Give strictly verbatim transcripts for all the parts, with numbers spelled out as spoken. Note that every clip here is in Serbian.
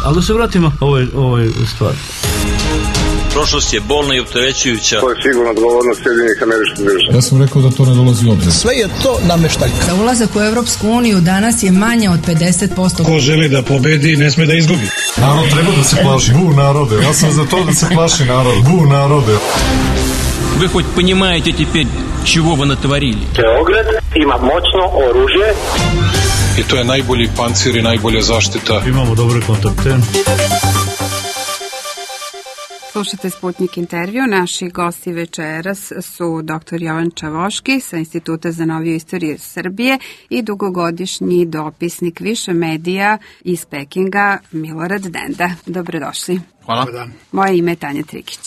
Ali da se vratimo ovoj, ovoj stvari. Prošlost je bolna i opterećujuća. To je sigurno odgovornost Sjedinjenih Američkih Država. Ja sam rekao da to ne dolazi u obzir. Sve je to nameštaljka. Za ulazak u Evropsku uniju danas je manje od pedeset posto. Ko želi da pobedi, ne sme da izgubi. Narod treba da se plaši. Bu narode. Ja sam za to da se plaši narod. Bu narode. Вы хоть понимаете теперь, чего вы натворили? Beograd ima moćno oružje. I to je najbolji pancir i najbolja zaštita. Imamo dobre kontakte. Slušate Sputnik intervju. Naši gosti večeras su doktor Jovan Čavoški sa Instituta za noviju istoriju Srbije i dugogodišnji dopisnik više medija iz Pekinga Milorad Denda. Dobrodošli. Hvala. Moje ime je Tanja Trikić.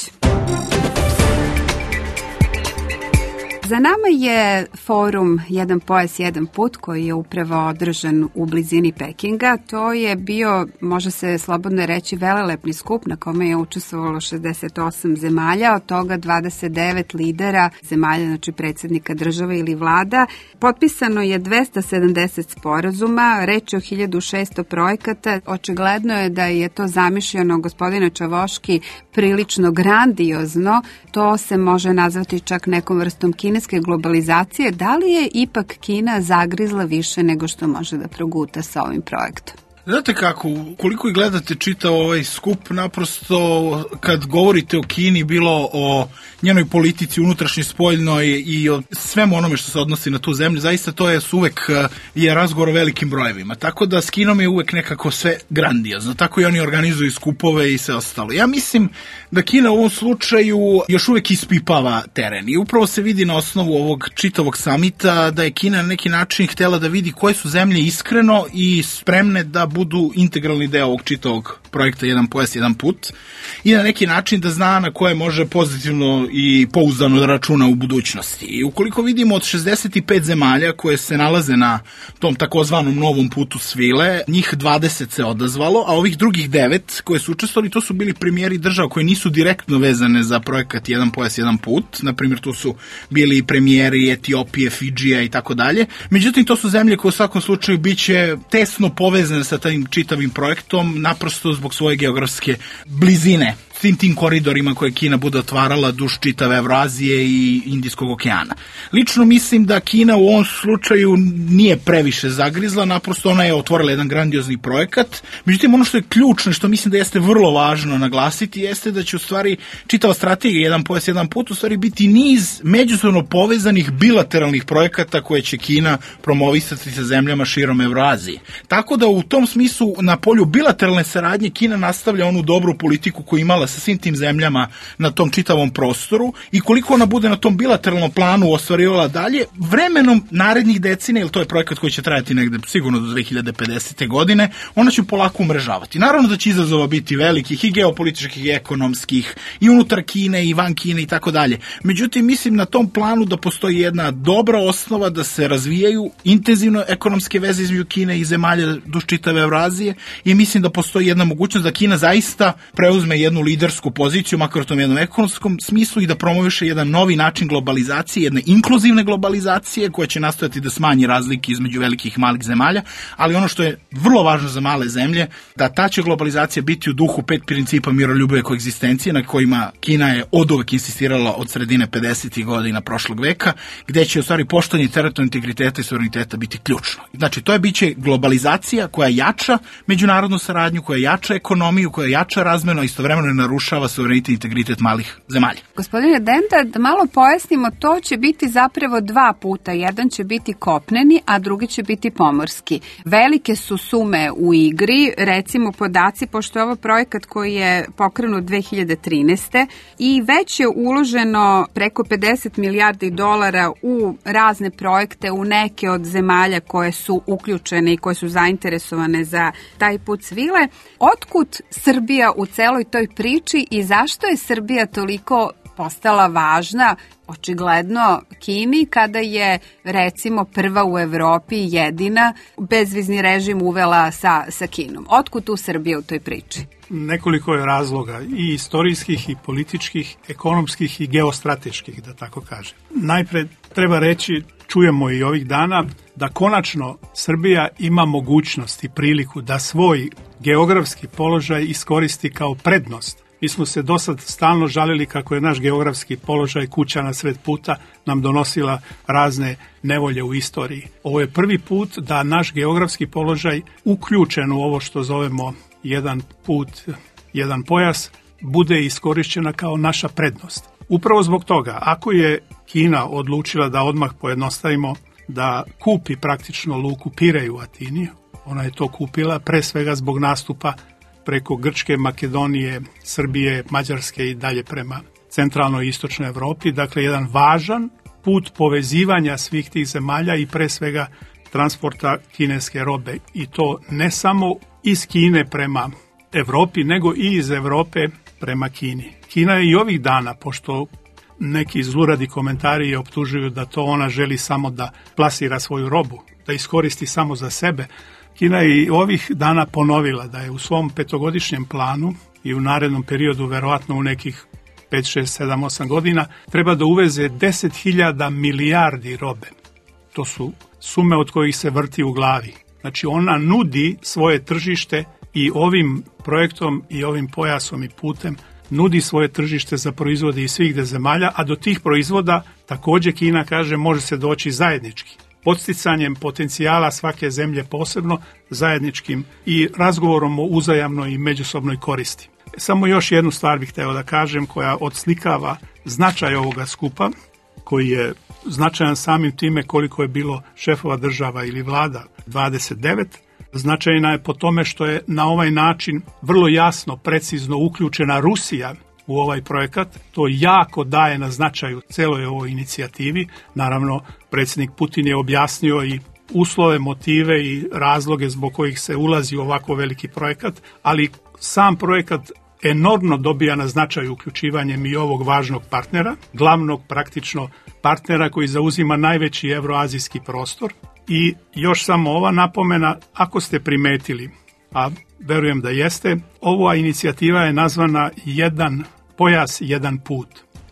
Za nama je forum Jedan pojas, jedan put koji je upravo održan u blizini Pekinga. To je bio, može se slobodno reći, velelepni skup na kome je učestvovalo šezdeset osam zemalja, od toga dvadeset devet lidera zemalja, znači predsjednika države ili vlada. Potpisano je dvesta sedamdeset sporazuma, reč je o hiljadu šesto projekata. Očigledno je da je to zamišljeno, gospodine Čavoški, prilično grandiozno. To se može nazvati čak nekom vrstom kineske globalizacije. Da li je ipak Kina zagrizla više nego što može da proguta sa ovim projektom? Znate kako, koliko i gledate čitao ovaj skup, naprosto kad govorite o Kini, bilo o njenoj politici unutrašnjoj, spoljnoj i o svemu onome što se odnosi na tu zemlju, zaista to je uvek je razgovor o velikim brojevima. Tako da s Kinom je uvek nekako sve grandiozno. Tako i oni organizuju skupove i sve ostalo. Ja mislim da Kina u ovom slučaju još uvek ispipava teren i upravo se vidi na osnovu ovog čitavog samita da je Kina na neki način htjela da vidi koje su zemlje iskreno i spremne da budu integralni deo ovog čitavog projekta Jedan pojas, jedan put i na neki način da zna na koje može pozitivno i pouzdano da računa u budućnosti. I ukoliko vidimo od šezdeset pet zemalja koje se nalaze na tom takozvanom novom putu svile, njih dvadeset se odazvalo, a ovih drugih devet koje su učestvovali, to su bili premijeri država koji nisu direktno vezane za projekat Jedan pojas, jedan put. Na primjer, to su bili premijeri Etiopije, Fidžija i tako dalje. Međutim, to su zemlje koje u svakom slučaju biće tesno povezane sa tim čitavim projektom, naprosto zbog svoje geografske blizine svim tim koridorima koje Kina bude otvarala duž čitave Evrazije i Indijskog okeana. Lično mislim da Kina u ovom slučaju nije previše zagrizla, naprosto ona je otvorila jedan grandiozni projekat. Međutim, ono što je ključno i što mislim da jeste vrlo važno naglasiti jeste da će u stvari čitava strategija Jedan pojas, jedan put u stvari biti niz međusobno povezanih bilateralnih projekata koje će Kina promovisati sa zemljama širom Evrazije. Tako da u tom smislu na polju bilateralne saradnje Kina nastavlja onu dobru politiku koju imala sa svim tim zemljama na tom čitavom prostoru i koliko ona bude na tom bilateralnom planu ostvarivala dalje, vremenom narednih decenija, jer to je projekat koji će trajati negde sigurno do dve hiljade pedesete. godine, ona će polako umrežavati. Naravno da će izazova biti velikih i geopolitičkih i ekonomskih i unutar Kine i van Kine i tako dalje. Međutim, mislim na tom planu da postoji jedna dobra osnova da se razvijaju intenzivno ekonomske veze između Kine i zemalja duž čitave Evrazije i mislim da postoji jedna mogućnost da Kina zaista preuzme jednu lidersku poziciju, makar u tom jednom ekonomskom smislu i da promoviše jedan novi način globalizacije, jedne inkluzivne globalizacije koja će nastojati da smanji razlike između velikih i malih zemalja, ali ono što je vrlo važno za male zemlje, da ta će globalizacija biti u duhu pet principa miroljubive koegzistencije na kojima Kina je oduvek insistirala od sredine pedesetih godina prošlog veka, gde će u stvari poštovanje teritorijalnog integriteta i suvereniteta biti ključno. Znači, to je biće globalizacija koja jača međunarodnu saradnju, koja jača ekonomiju, koja jača razmenu, a istovremeno ne narušava suverenitet i integritet malih zemalja. Gospodine Denda, da malo pojasnimo, to će biti zapravo dva puta. Jedan će biti kopneni, a drugi će biti pomorski. Velike su sume u igri, recimo podaci, pošto je ovo projekat koji je pokrenut dve hiljade trinaeste. i već je uloženo preko pedeset milijardi dolara u razne projekte, u neke od zemalja koje su uključene i koje su zainteresovane za taj put svile. Otkud Srbija u celoj toj priči i zašto je Srbija toliko postala važna, očigledno, Kini, kada je, recimo, prva u Evropi, jedina, bezvizni režim uvela sa, sa Kinom? Otkud tu Srbija u toj priči? Nekoliko je razloga, i istorijskih, i političkih, ekonomskih i geostrateških, da tako kažem. Najpre treba reći, čujemo i ovih dana, da konačno Srbija ima mogućnost i priliku da svoj geografski položaj iskoristi kao prednost. Mi smo se do sad stalno žalili kako je naš geografski položaj, kuća na sred puta, nam donosila razne nevolje u istoriji. Ovo je prvi put da naš geografski položaj uključen u ovo što zovemo jedan put, jedan pojas, bude iskorišćena kao naša prednost. Upravo zbog toga, ako je Kina odlučila da odmah pojednostavimo, da kupi praktično luku Pirej u Atini, ona je to kupila pre svega zbog nastupa preko Grčke, Makedonije, Srbije, Mađarske i dalje prema centralnoj i istočnoj Evropi. Dakle, jedan važan put povezivanja svih tih zemalja i pre svega transporta kineske robe. I to ne samo iz Kine prema Evropi, nego i iz Evrope prema Kini. Kina je i ovih dana, pošto neki zluradi komentari je optužuju da to ona želi samo da plasira svoju robu, da iskoristi samo za sebe, Kina je i ovih dana ponovila da je u svom petogodišnjem planu i u narednom periodu, verovatno u nekih pet, šest, sedam, osam godina, treba da uveze deset hiljada milijardi robe. To su sume od kojih se vrti u glavi. Znači ona nudi svoje tržište i ovim projektom i ovim pojasom i putem nudi svoje tržište za proizvode iz svih zemalja, a do tih proizvoda također Kina kaže može se doći zajednički. Podsticanjem potencijala svake zemlje posebno, zajedničkim i razgovorom o uzajamnoj i međusobnoj koristi. Samo još jednu stvar bih hteo da kažem koja odslikava značaj ovoga skupa, koji je značajan samim time koliko je bilo šefova država ili vlada, dvadeset devet. Značajna je po tome što je na ovaj način vrlo jasno, precizno uključena Rusija u ovaj projekat. To jako daje na značaju celoj ovoj inicijativi. Naravno, predsjednik Putin je objasnio i uslove, motive i razloge zbog kojih se ulazi u ovako veliki projekat, ali sam projekat enormno dobija na značaju uključivanjem i ovog važnog partnera, glavnog praktično partnera koji zauzima najveći evroazijski prostor. I još samo ova napomena, ako ste primetili, a verujem da jeste, ova inicijativa je nazvana jedan pojas, jedan put.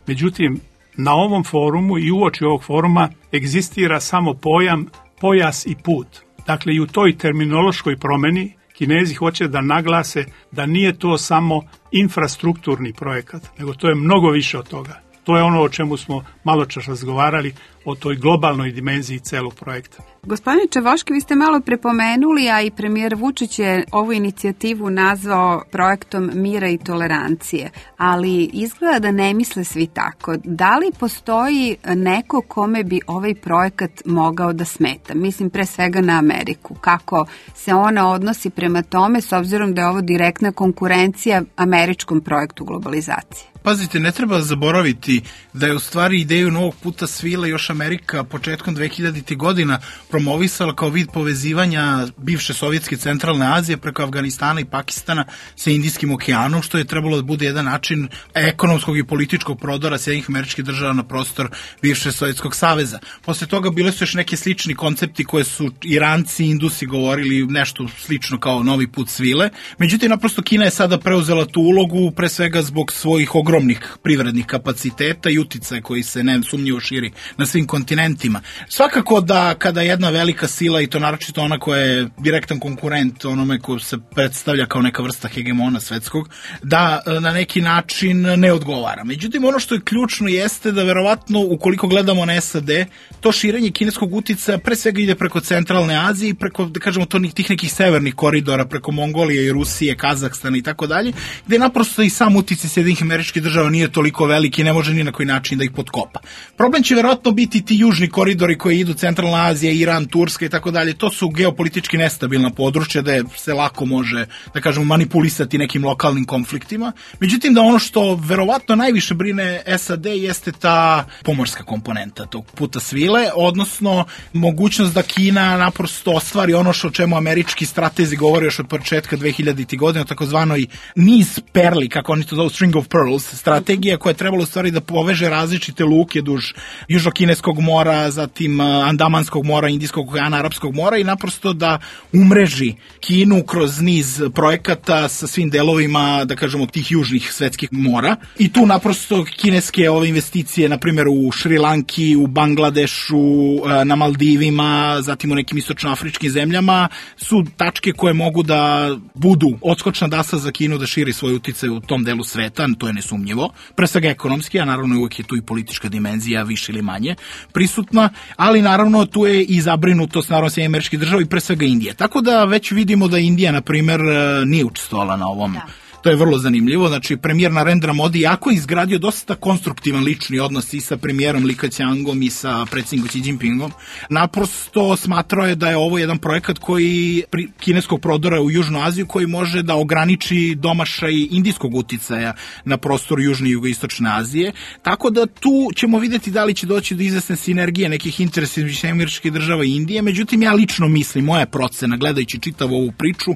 Međutim, na ovom forumu i uoči ovog foruma egzistira samo pojam pojas i put. Dakle, i u toj terminološkoj promeni Kinezi hoće da naglase da nije to samo infrastrukturni projekat, nego to je mnogo više od toga. To je ono o čemu smo malo čas razgovarali, o toj globalnoj dimenziji celog projekta. Gospodine Čavoški, vi ste malo prepomenuli, a i premijer Vučić je ovu inicijativu nazvao projektom mira i tolerancije, ali izgleda da ne misle svi tako. Da li postoji neko kome bi ovaj projekat mogao da smeta? Mislim pre svega na Ameriku. Kako se ona odnosi prema tome, s obzirom da je ovo direktna konkurencija američkom projektu globalizacije? Pazite, ne treba zaboraviti da je u stvari ideju novog puta svila još Amerika početkom dvehiljaditih godina promovisala kao vid povezivanja bivše Sovjetske centralne Azije preko Afganistana i Pakistana sa Indijskim okeanom, što je trebalo da bude jedan način ekonomskog i političkog prodora Sjedinjenih Američkih Država na prostor bivše Sovjetskog saveza. Posle toga bile su još neki slični koncepti koje su Iranci i Indusi govorili nešto slično kao novi put svile. Međutim, naprosto Kina je sada preuzela tu ulogu pre svega zbog svojih ogromnih privrednih kapaciteta i uticaja koji se ne sumnjivo širi na svim kontinentima. Svakako da kada jedna velika sila, i to naročito ona koja je direktan konkurent onome ko se predstavlja kao neka vrsta hegemona svetskog, da na neki način ne odgovara. Međutim, ono što je ključno jeste da verovatno ukoliko gledamo na S A D, to širenje kineskog uticaja pre svega ide preko centralne Azije i preko, da kažemo, to tih nekih severnih koridora, preko Mongolije i Rusije, Kazahstana i tako dalje, gde naprosto i sam uticaj Sjedinjenih Američkih Država nije toliko veliki i ne može ni na koji način da ih potkopa. Problem će verovatno biti ti južni koridori koji idu centralna Azija, Iran, Turska i tako dalje. To su geopolitički nestabilna područja da se lako može, da kažemo, manipulisati nekim lokalnim konfliktima. Međutim, da ono što verovatno najviše brine S A D jeste ta pomorska komponenta tog puta svile, odnosno mogućnost da Kina naprosto ostvari ono što o čemu američki stratezi govore još od početka dvehiljaditih godina, takozvanoj niz perli, kako oni to zovu, string of pearls, strategija koja je trebala u stvari da poveže različite luke duž južno-kineskog Bengalskog mora, zatim Andamanskog mora, Indijskog okeana, Arapskog mora i naprosto da umreži Kinu kroz niz projekata sa svim delovima, da kažemo, tih južnih svetskih mora. I tu naprosto kineske ove investicije, na primjer u Šrilanki, u Bangladešu, na Maldivima, zatim u nekim istočnoafričkim zemljama, su tačke koje mogu da budu odskočna dasa za Kinu da širi svoj uticaj u tom delu sveta, to je nesumnjivo. Pre svega ekonomski, a naravno uvek je tu i politička dimenzija, više ili manje prisutna, ali naravno tu je i zabrinutost naravno Sjedinjenih Američkih Država i pre svega Indije. Tako da već vidimo da Indija, na primjer, nije učestvovala na ovom. Da. To je vrlo zanimljivo. Znači, premijer Narendra Modi jako je izgradio dosta konstruktivan lični odnos i sa premijerom Li Keqiangom i sa predsjednikom Xi Jinpingom. Naprosto smatrao je da je ovo jedan projekat koji pri kineskog prodora u Južnu Aziju koji može da ograniči domašaj indijskog uticaja na prostoru Južne i Jugoistočne Azije. Tako da tu ćemo vidjeti da li će doći do izvesne sinergije nekih interesa između Sjedinjenih Američkih Država i Indije. Međutim, ja lično mislim, moja procena, gledajući čitavu ovu priču,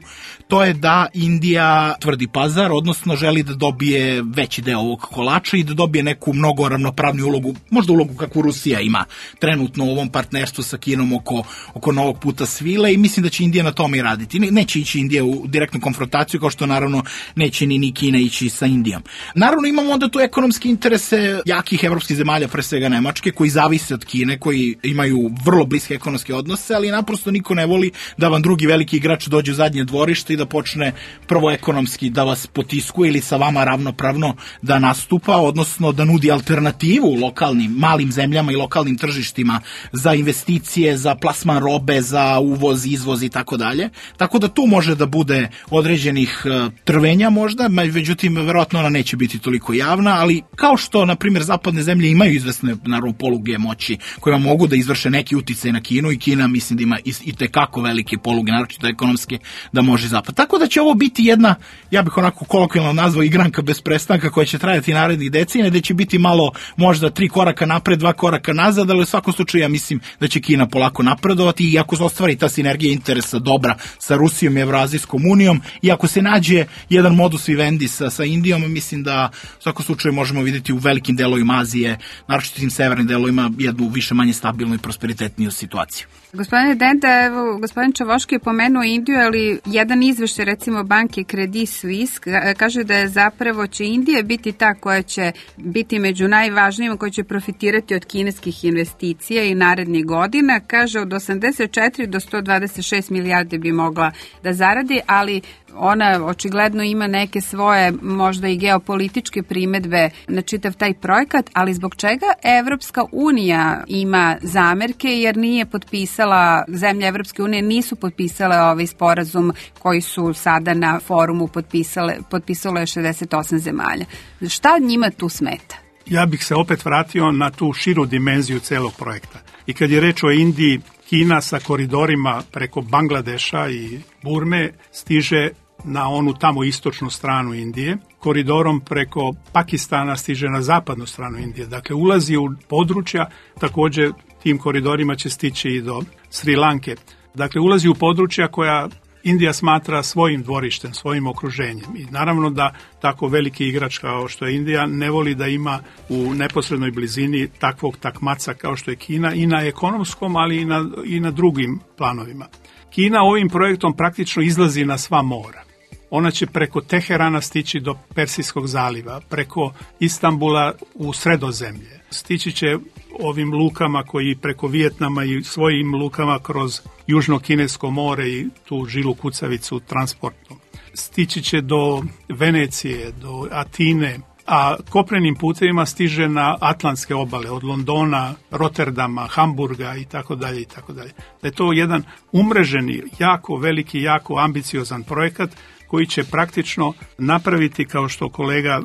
to je da Indija tvrdi pazar, odnosno želi da dobije veći deo ovog kolača i da dobije neku mnogo ravnopravniju ulogu, možda ulogu kakvu Rusija ima trenutno u ovom partnerstvu sa Kinom oko, oko novog puta svile i mislim da će Indija na tome i raditi. Neće ići Indija u direktnu konfrontaciju, kao što naravno neće ni, ni Kina ići sa Indijom. Naravno imamo onda tu ekonomske interese jakih evropskih zemalja, pre svega Nemačke, koji zavise od Kine, koji imaju vrlo bliske ekonomske odnose, ali naprosto niko ne voli da vam drugi veliki igrač dođe u zadnje dvorište i da počne prvo ekonomski da vas potiskuje ili sa vama ravnopravno da nastupa, odnosno da nudi alternativu lokalnim, malim zemljama i lokalnim tržištima za investicije, za plasman robe, za uvoz, izvoz i tako dalje. Tako da tu može da bude određenih trvenja možda, međutim, verovatno ona neće biti toliko javna, ali kao što, na primjer, zapadne zemlje imaju izvesne, naravno, poluge moći kojima mogu da izvrše neki uticaj na Kinu i Kina, mislim da ima i, i tekako velike poluge, naročito ekonomske, da može zapad. Tako da će ovo biti jedna, ja bih onako kolokvijalno nazvao, igranka bez prestanka koja će trajati narednih decenija, da će biti malo možda tri koraka napred, dva koraka nazad, ali u svakom slučaju ja mislim da će Kina polako napredovati i ako se ostvari ta sinergija interesa dobra sa Rusijom i Evroazijskom unijom i ako se nađe jedan modus vivendi sa, sa Indijom, mislim da u svakom slučaju možemo vidjeti u velikim delovima Azije, naročito tim severnim delovima, jednu više manje stabilnu i prosperitetniju situaciju. Gospodine Denda, evo, gospodin Čavoški je pomenuo Indiju, ali jedan izveštaj, recimo banke Credit Suisse, kaže da je zapravo će Indija biti ta koja će biti među najvažnijima, koja će profitirati od kineskih investicija i narednih godina. Kaže, od osamdeset četiri do sto dvadeset šest milijardi bi mogla da zaradi, ali ona očigledno ima neke svoje možda i geopolitičke primedbe na čitav taj projekat, ali zbog čega Evropska unija ima zamerke, jer nije potpisala, zemlje Evropske unije nisu potpisale ovaj sporazum koji su sada na forumu potpisale, potpisalo je šezdeset osam zemalja. Šta njima tu smeta? Ja bih se opet vratio na tu širu dimenziju celog projekta. I kad je reč o Indiji, Kina sa koridorima preko Bangladeša i Burme stiže na onu tamo istočnu stranu Indije, koridorom preko Pakistana stiže na zapadnu stranu Indije. Dakle, ulazi u područja, također tim koridorima će stići i do Sri Lanke. Dakle, ulazi u područja koja Indija smatra svojim dvorištem, svojim okruženjem. I naravno da tako veliki igrač kao što je Indija ne voli da ima u neposrednoj blizini takvog takmaca kao što je Kina i na ekonomskom, ali i na, i na drugim planovima. Kina ovim projektom praktično izlazi na sva mora. Ona će preko Teherana stići do Persijskog zaliva, preko Istanbula u Sredozemlje. Stići će ovim lukama koji preko Vijetnama i svojim lukama kroz Južno-Kinesko more i tu žilu kucavicu transportnom. Stići će do Venecije, do Atine, a kopnenim putevima stiže na atlantske obale, od Londona, Rotterdama, Hamburga i tako dalje i tako dalje. Da je to jedan umreženi, jako veliki, jako ambiciozan projekat koji će praktično napraviti, kao što kolega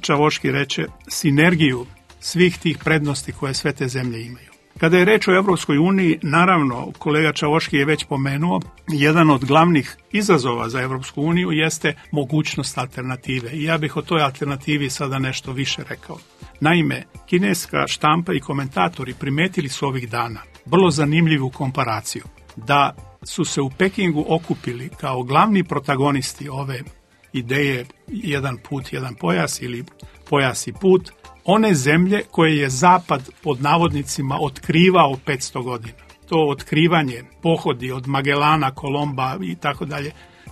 Čavoški reče, sinergiju svih tih prednosti koje sve te zemlje imaju. Kada je reč o Evropskoj uniji, naravno, kolega Čavoški je već pomenuo, jedan od glavnih izazova za Evropsku uniju jeste mogućnost alternative. I ja bih o toj alternativi sada nešto više rekao. Naime, kineska štampa i komentatori primetili su ovih dana vrlo zanimljivu komparaciju, da su se u Pekingu okupili kao glavni protagonisti ove ideje jedan put, jedan pojas ili pojas i put, one zemlje koje je Zapad pod navodnicima otkrivao petsto godina. To otkrivanje, pohodi od Magellana, Kolomba i tako dalje.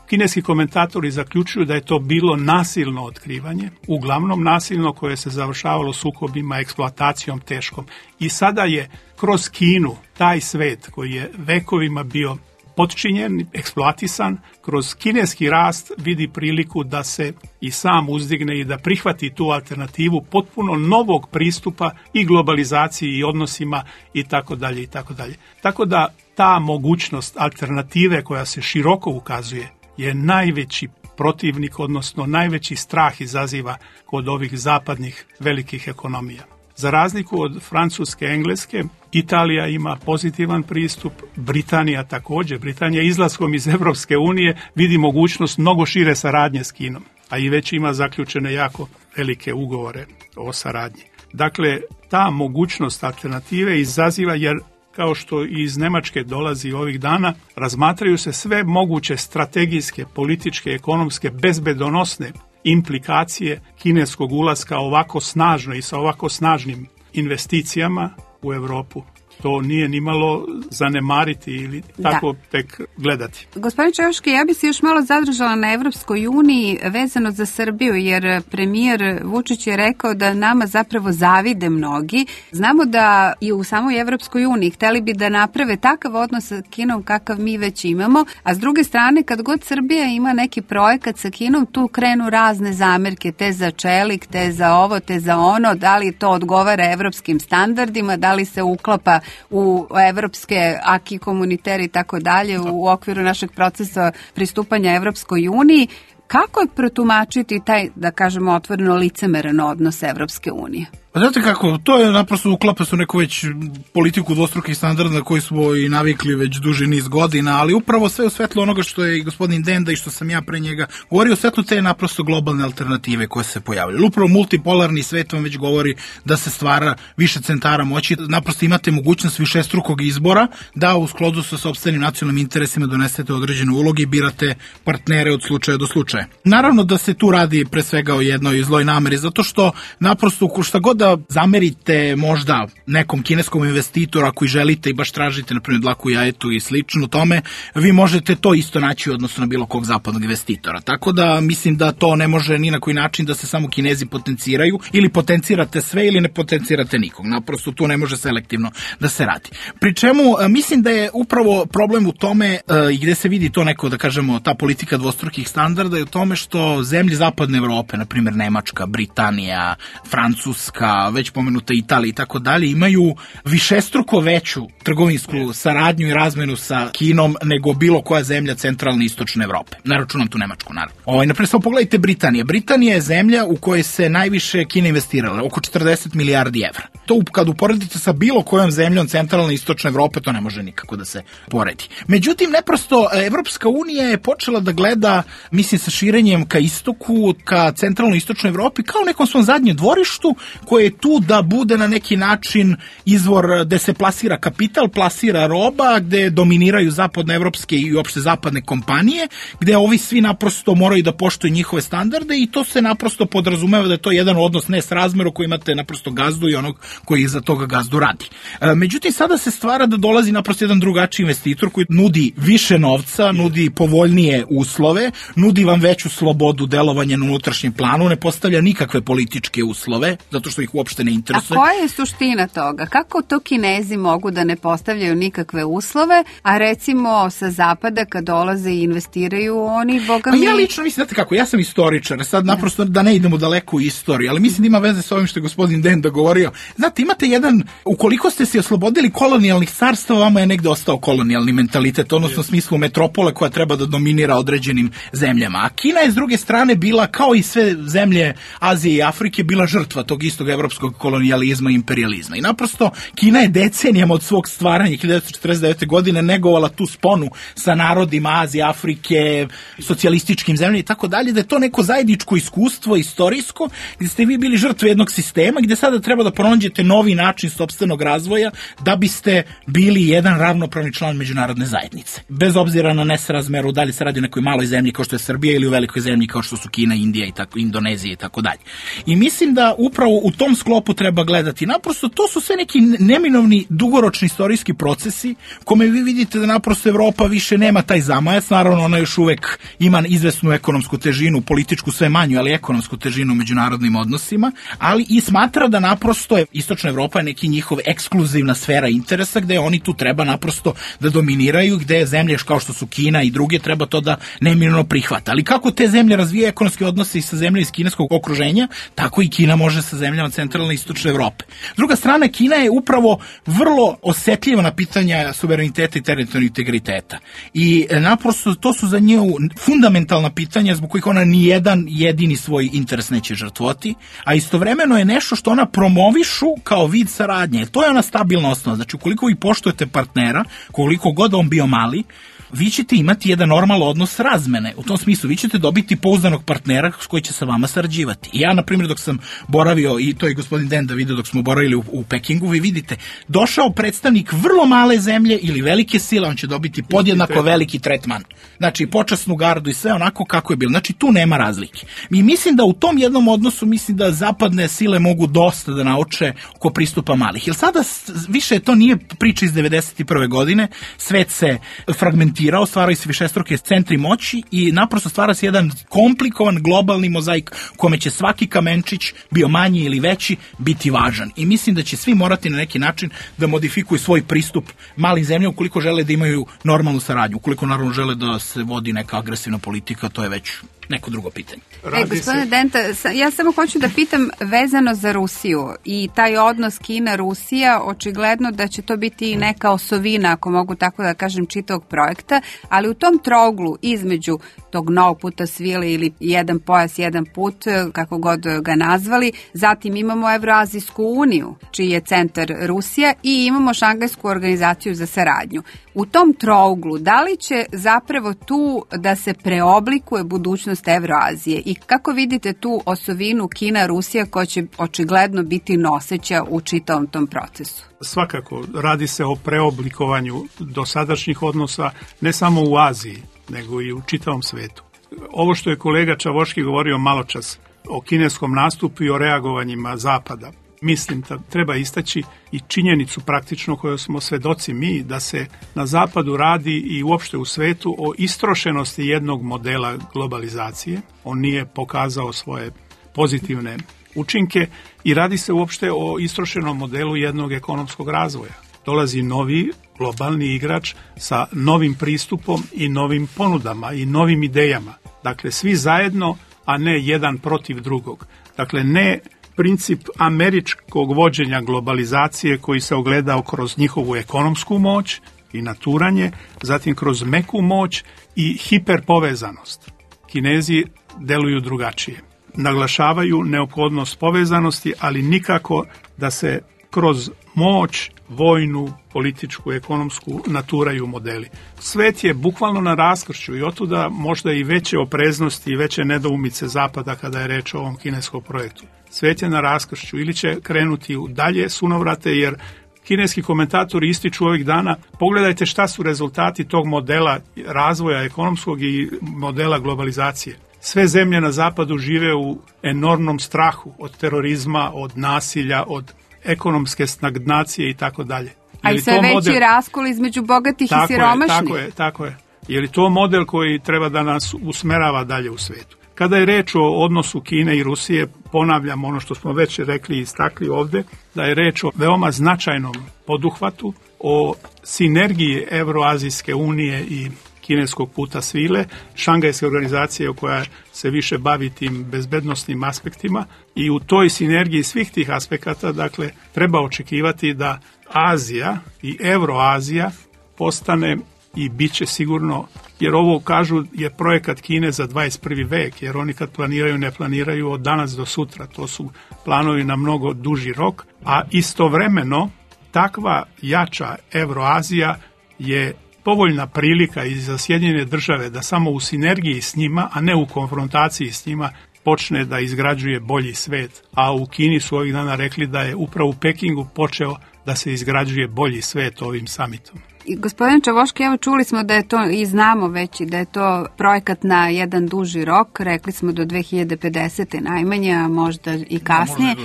Kineski komentatori zaključuju da je to bilo nasilno otkrivanje, uglavnom nasilno koje se završavalo sukobima, eksploatacijom teškom. I sada je kroz Kinu taj svet koji je vekovima bio potčinjen, eksploatisan, kroz kineski rast vidi priliku da se i sam uzdigne i da prihvati tu alternativu potpuno novog pristupa i globalizaciji i odnosima i tako dalje i tako dalje. Tako da ta mogućnost alternative koja se široko ukazuje je najveći protivnik, odnosno najveći strah izaziva kod ovih zapadnih velikih ekonomija. Za razliku od Francuske, Engleske, Italija ima pozitivan pristup, Britanija također. Britanija izlaskom iz Europske unije vidi mogućnost mnogo šire saradnje s Kinom, a i već ima zaključene jako velike ugovore o saradnji. Dakle, ta mogućnost alternative izaziva, jer kao što iz Nemačke dolazi ovih dana, razmatraju se sve moguće strategijske, političke, ekonomske, bezbedonosne implikacije kineskog ulaska ovako snažno i sa ovako snažnim investicijama u Europu. To nije nimalo zanemariti ili tako da. Tek gledati. Gospodin Čevoški, ja bi se još malo zadržala na Evropskoj uniji vezano za Srbiju, jer premijer Vučić je rekao da nama zapravo zavide mnogi. Znamo da i u samoj Evropskoj uniji hteli bi da naprave takav odnos sa Kinom kakav mi već imamo, a s druge strane kad god Srbija ima neki projekat sa Kinom, tu krenu razne zamerke, te za čelik, te za ovo, te za ono, da li to odgovara evropskim standardima, da li se uklapa u evropske aki komuniteri i tako dalje u okviru našeg procesa pristupanja Evropskoj uniji. Kako je protumačiti taj, da kažemo, otvoreno licemeran odnos Evropske unije? Pa znate kako, to je naprosto uklapa su neku već politiku dvostrukih standarda na koju smo i navikli već duži niz godina, ali upravo sve u svetlu onoga što je i gospodin Denda i što sam ja pre njega govorio, u svetlu te naprosto globalne alternative koje se pojavljaju. Upravo multipolarni svet vam već govori da se stvara više centara moći, naprosto imate mogućnost višestrukog izbora da u skladu sa sopstvenim nacionalnim interesima donesete određene uloge i birate partnere od slučaja do slučaja. Naravno da se tu radi pre svega o jednoj zloj nameri, zato što naprosto šta god da zamerite možda nekom kineskom investitoru ako i želite i baš tražite, na primjer, dlaku jajetu i slično tome, vi možete to isto naći u odnosu na bilo kog zapadnog investitora. Tako da mislim da to ne može ni na koji način da se samo Kinezi potenciraju, ili potencirate sve ili ne potencirate nikog. Naprosto tu ne može selektivno da se radi. Pri čemu mislim da je upravo problem u tome i gde se vidi to neko, da kažemo, ta politika dvostrukih standarda je u tome što zemlje zapadne Evrope, na primjer Nemačka, Britanija, Francuska, već pomenuta Italija i tako dalje, imaju višestruko veću trgovinsku saradnju i razmenu sa Kinom nego bilo koja zemlja centralne i istočne Evrope. Ne računam tu Nemačku, naravno. Ovaj, naprijed, samo pogledajte Britanije. Britanija je zemlja u kojoj se najviše Kina investirala, oko četrdeset milijardi evra. To kad uporedite sa bilo kojom zemljom centralne i istočne Evrope, to ne može nikako da se poredi. Međutim, neprosto, Evropska unija je počela da gleda, mislim, sa širenjem ka istoku, ka centralnoj i istočnoj Evropi, kao nekom svom zadnjem dvorištu, koje je tu da bude na neki način izvor gde se plasira kapital, plasira roba, gde dominiraju zapadnoevropske i uopšte zapadne kompanije, gde ovi svi naprosto moraju da poštuju njihove standarde i to se naprosto podrazumeva da je to jedan odnos ne s razmeru koji imate naprosto gazdu i onog koji za toga gazdu radi. E, međutim, sada se stvara da dolazi naprosto jedan drugačiji investitor koji nudi više novca, nudi povoljnije uslove, nudi vam veću slobodu delovanja na unutrašnjem planu, ne postavlja nikakve političke uslove, zato što ih uopšte ne interesuje. A koja je suština toga? Kako to Kinezi mogu da ne postavljaju nikakve uslove, a recimo sa zapada kad dolaze i investiraju oni, boga mi... Pa ja lično mislim, znate kako, ja sam istoričar, sad naprosto da ne idemo daleko u istoriju, ali mislim da ima veze sa ovim što je gospodin Denda govorio. Znate, imate jedan, ukoliko ste se oslobodili kolonijalnih carstva, vama je negde ostao kolonijalni mentalitet, odnosno u smislu metropole koja treba da dominira određenim zemljama. A Kina je s druge strane bila, kao i sve zemlje Azije i Afrike, bila žrtva tog istog evropskog evropskog kolonijalizma i imperializma. I naprosto Kina je decenijama od svog stvaranja hiljadu devetsto četrdeset devete. godine negovala tu sponu sa narodima Azije, Afrike, socijalističkim zemljama i tako dalje, da je to neko zajedničko iskustvo, istorijsko, gdje ste vi bili žrtve jednog sistema, gdje sada treba da pronađete novi način sopstvenog razvoja da biste bili jedan ravnopravni član međunarodne zajednice. Bez obzira na nesrazmeru, da li se radi o nekoj maloj zemlji kao što je Srbija ili u velikoj zemlji kao što su Kina, Indija i tako, Indonezija i tako dalje. I mislim da upravo u tom sklopu treba gledati. Naprosto to su sve neki neminovni dugoročni istorijski procesi kome vi vidite da naprosto Evropa više nema taj zamajac, naravno ona još uvek ima izvesnu ekonomsku težinu, političku sve manju, ali ekonomsku težinu u međunarodnim odnosima, ali i smatra da naprosto je Istočna Evropa je neki njihov ekskluzivna sfera interesa gde oni tu treba naprosto da dominiraju, gde zemlje kao što su Kina i druge treba to da neminovno prihvata. Ali kako te zemlje razvijaju ekonomske odnose i sa zemljama iz kineskog okruženja, tako i Kina može sa zemljama centralne i istočne Evrope. Druga strana, Kina je upravo vrlo osetljiva na pitanja suvereniteta i teritorijalnog integriteta. I naprosto to su za nju fundamentalna pitanja zbog kojih ona ni jedan jedini svoj interes neće žrtvovati, a istovremeno je nešto što ona promovišu kao vid saradnje. To je ona stabilna osnova. Znači, ukoliko vi poštujete partnera, koliko god on bio mali, vi ćete imati jedan normalan odnos razmene. U tom smislu, vi ćete dobiti pouzdanog partnera s koji će sa vama sarađivati. I ja, na primjer, dok sam boravio, i to je gospodin Denda vidio dok smo boravili u, u Pekingu, vi vidite, došao predstavnik vrlo male zemlje ili velike sile, on će dobiti podjednako veliki tretman. Znači, počasnu gardu i sve onako kako je bilo. Znači, tu nema razlike. I mislim da u tom jednom odnosu, mislim da zapadne sile mogu dosta da nauče oko pristupa malih. Jer sada više to nije priča iz devedeset prve. godine, svet se fragmentira, stvaraju se višestruke centri moći i naprosto stvara se jedan komplikovan globalni mozaik u kome će svaki kamenčić, bio manji ili veći, biti važan. I mislim da će svi morati na neki način da modifikuju svoj pristup malim zemljama ukoliko žele da imaju normalnu saradnju. Ukoliko naravno žele da se vodi neka agresivna politika, to je već neko drugo pitanje. E, gospodine Denta, ja samo hoću da pitam vezano za Rusiju i taj odnos Kina-Rusija, očigledno da će to biti neka osovina, ako mogu tako da kažem, čitavog projekta, ali u tom trouglu između tog novog puta svile ili jedan pojas, jedan put, kako god ga nazvali, zatim imamo Evroazijsku uniju, čiji je centar Rusija, i imamo Šangajsku organizaciju za saradnju. U tom trouglu, da li će zapravo tu da se preoblikuje budućnost Evroazije i kako vidite tu osovinu Kina-Rusija koja će očigledno biti noseća u čitavom tom procesu? Svakako, radi se o preoblikovanju dosadašnjih odnosa ne samo u Aziji, nego i u čitavom svetu. Ovo što je kolega Čavoški govorio maločas o kineskom nastupu i o reagovanjima Zapada, mislim da treba istaći i činjenicu praktično koju smo svedoci mi, da se na Zapadu radi i uopšte u svetu o istrošenosti jednog modela globalizacije. On nije pokazao svoje pozitivne učinke i radi se uopšte o istrošenom modelu jednog ekonomskog razvoja. Dolazi novi globalni igrač sa novim pristupom i novim ponudama i novim idejama. Dakle, svi zajedno, a ne jedan protiv drugog. Dakle, ne princip američkog vođenja globalizacije koji se ogledao kroz njihovu ekonomsku moć i naturanje, zatim kroz meku moć i hiperpovezanost. Kinezi deluju drugačije. Naglašavaju neophodnost povezanosti, ali nikako da se kroz moć, vojnu, političku, ekonomsku naturaju modeli. Svet je bukvalno na raskršću i otuda možda i veće opreznosti i veće nedoumice Zapada kada je reč o ovom kineskom projektu. Svet je na raskršću ili će krenuti u dalje sunovrate, jer kineski komentatori ističu ovih dana, pogledajte šta su rezultati tog modela razvoja ekonomskog i modela globalizacije. Sve zemlje na Zapadu žive u enormnom strahu od terorizma, od nasilja, od ekonomske stagnacije i tako dalje. A i sve veći model... raskol između bogatih tako i siromašnih. Je, tako je, tako je. Je li to model koji treba da nas usmerava dalje u svetu? Kada je reč o odnosu Kine i Rusije, ponavljam ono što smo već rekli i istakli ovde, da je reč o veoma značajnom poduhvatu, o sinergiji Evroazijske unije i kineskog puta svile, Šangajske organizacije koja se više bavi tim bezbednosnim aspektima, i u toj sinergiji svih tih aspekata, dakle, treba očekivati da Azija i Evroazija postane i bit će sigurno, jer ovo kažu je projekat Kine za dvadeset prvi vek, jer oni kad planiraju ne planiraju od danas do sutra, to su planovi na mnogo duži rok, a istovremeno takva jača Evroazija je povoljna prilika i za Sjedinjene države da samo u sinergiji s njima, a ne u konfrontaciji s njima, počne da izgrađuje bolji svet. A u Kini su ovih dana rekli da je upravo u Pekingu počeo da se izgrađuje bolji svet ovim samitom. I gospodin Čavoški, evo čuli smo da je to i znamo već da je to projekat na jedan duži rok, rekli smo do dve hiljade pedesete najmanje, a možda i kasnije.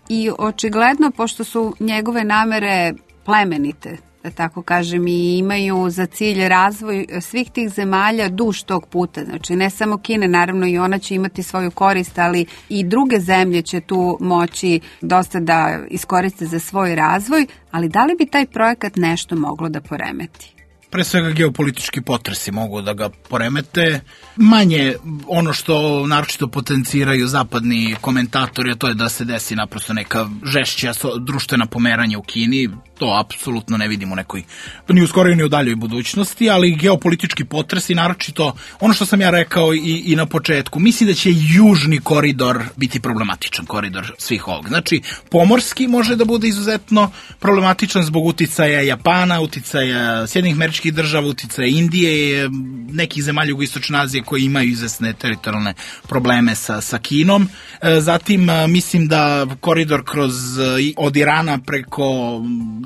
I očigledno, pošto su njegove namere plemenite, da tako kažem, i imaju za cilj razvoj svih tih zemalja duž tog puta. Znači, ne samo Kine, naravno i ona će imati svoju korist, ali i druge zemlje će tu moći dosta da iskoriste za svoj razvoj, ali da li bi taj projekat nešto moglo da poremeti? Pre svega geopolitički potresi mogu da ga poremete. Manje ono što naročito potenciraju zapadni komentatori, a to je da se desi naprosto neka žešća društvena pomeranja u Kini. To apsolutno ne vidimo u nekoj, ni u skoroj ni u daljoj budućnosti, ali geopolitički potresi, naročito ono što sam ja rekao i, i na početku, misli da će južni koridor biti problematičan koridor svih ovog. Znači, pomorski može da bude izuzetno problematičan zbog uticaja Japana, uticaja Sjedinjenih Američkih Država, uticaja Indije, nekih zemalja jugoistočne Azije koji imaju izvesne teritorijalne probleme sa, sa Kinom. Zatim, mislim da koridor kroz od Irana preko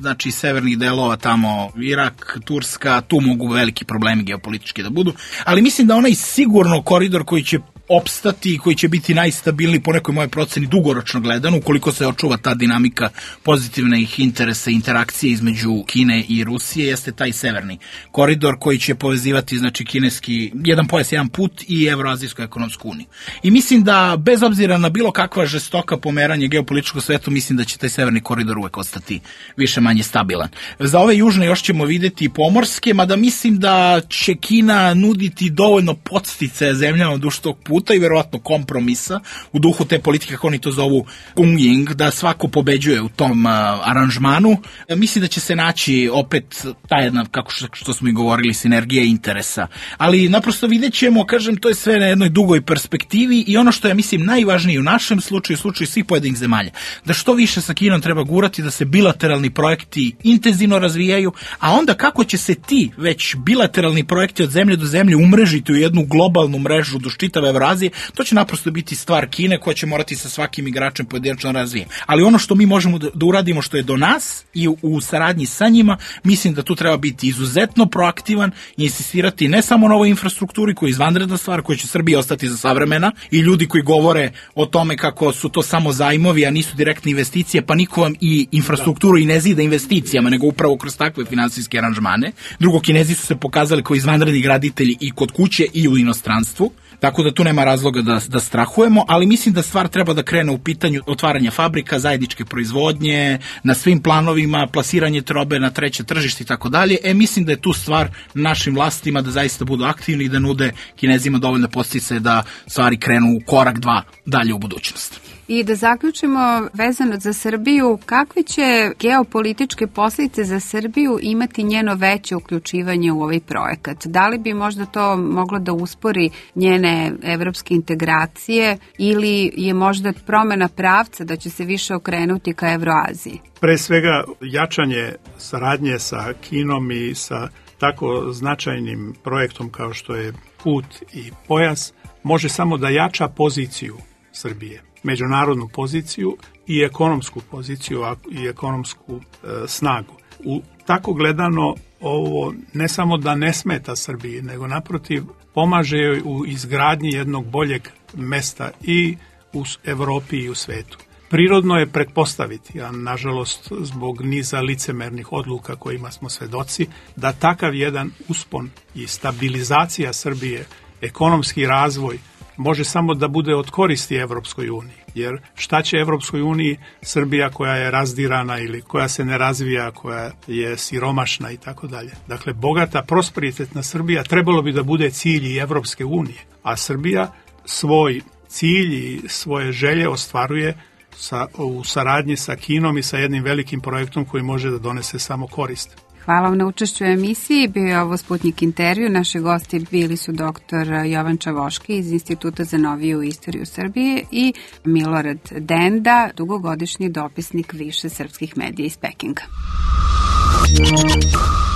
znači severnih delova tamo, Irak, Turska, tu mogu veliki problemi geopolitički da budu, ali mislim da onaj sigurno koridor koji će opstati i koji će biti najstabilniji po nekoj moje proceni dugoročno gledano, ukoliko se očuva ta dinamika pozitivnih interesa i interakcije između Kine i Rusije, jeste taj severni koridor koji će povezivati znači kineski, jedan pojas, jedan put i Evroazijsku ekonomsku uniju. I mislim da bez obzira na bilo kakva žestoka pomeranje geopolitičkog svetu, mislim da će taj severni koridor uvek ostati više manje stabilan. Za ove južne još ćemo videti i pomorske, mada mislim da će Kina nuditi dovoljno podsticaja zemljama duž tog puta i verovatno kompromisa u duhu te politike, kako oni to zovu Gungying, da svako pobeđuje u tom uh, aranžmanu. E, mislim da će se naći opet ta jedna, kako što, što smo i govorili, sinergija interesa. Ali naprosto vidjet ćemo, kažem, to je sve na jednoj dugoj perspektivi i ono što je, mislim, najvažnije u našem slučaju, u slučaju svih pojedinih zemalja, da što više sa Kinom treba gurati, da se bilateralni projekti intenzivno razvijaju, a onda kako će se ti već bilateralni projekti od zemlje do zemlje umrežiti u jednu globalnu mrežu do čitave Evroazije, to će naprosto biti stvar Kine koja će morati sa svakim igračem pojedinačno razvijati. Ali ono što mi možemo da uradimo što je do nas i u, u saradnji sa njima, mislim da tu treba biti izuzetno proaktivan i insistirati ne samo na ovoj infrastrukturi koja je izvanredna stvar, koja će Srbija ostati za savremena i ljudi koji govore o tome kako su to samo zajmovi, a nisu direktne investicije, pa niko vam i infrastrukturu i ne zida investicijama, nego upravo kroz takve finansijske aranžmane. Drugo, Kinezi su se pokazali kao izvanredni graditelji i kod kuće i u inostranstvu. Tako da tu nema razloga da, da strahujemo, ali mislim da stvar treba da krene u pitanju otvaranja fabrika, zajedničke proizvodnje, na svim planovima, plasiranje robe na treće tržište i tako dalje. E, mislim da je tu stvar našim vlastima da zaista budu aktivni i da nude Kinezima dovoljne podsticaje da stvari krenu u korak dva dalje u budućnost. I da zaključimo vezano za Srbiju, kakve će geopolitičke posljedice za Srbiju imati njeno veće uključivanje u ovaj projekat? Da li bi možda to moglo da uspori njene evropske integracije ili je možda promena pravca da će se više okrenuti ka Evroaziji? Pre svega jačanje saradnje sa Kinom i sa tako značajnim projektom kao što je put i pojas može samo da jača poziciju Srbije, međunarodnu poziciju i ekonomsku poziciju i ekonomsku e, snagu. U tako gledano ovo ne samo da ne smeta Srbiji, nego naprotiv pomaže joj u izgradnji jednog boljeg mesta i u Evropi i u svetu. Prirodno je pretpostaviti, a nažalost zbog niza licemernih odluka kojima smo svedoci, da takav jedan uspon i stabilizacija Srbije, ekonomski razvoj, može samo da bude od koristi Evropskoj uniji. Jer šta će Evropskoj uniji Srbija koja je razdirana ili koja se ne razvija, koja je siromašna i tako dalje. Dakle, bogata, prosperitetna Srbija trebalo bi da bude cilj i Evropske unije. A Srbija svoj cilj i svoje želje ostvaruje sa, u saradnji sa Kinom i sa jednim velikim projektom koji može da donese samo korist. Hvala vam na učešću u emisiji. Bio je ovo Sputnik intervju. Naši gosti bili su doktor Jovan Čavoški iz Instituta za noviju istoriju Srbije i Milorad Denda, dugogodišnji dopisnik više srpskih medija iz Pekinga.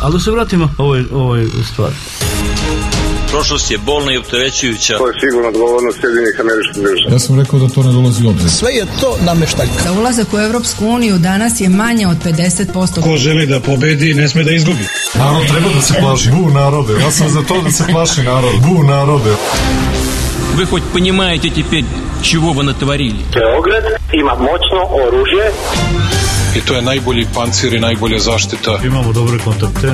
Ali da se vratimo ovoj, ovoj stvari. Prošlost je bolna i opterećujuća. To je sigurno odgovornost Sjedinjenih Američkih Država. Ja sam rekao da to ne dolazi u obzir. Sve je to nameštaljka. Za ulazak u Evropsku uniju danas je manje od pedeset posto. Ko želi da pobedi, ne sme da izgubi. Narod treba da se plaši. Bu narode. Ja sam za to da se plaši narod. Bu narode. Вы хоть понимаете теперь, чего вы натворили? Beograd ima moćno oružje. I to je najbolji pancir i najbolja zaštita. Imamo dobre kontakte.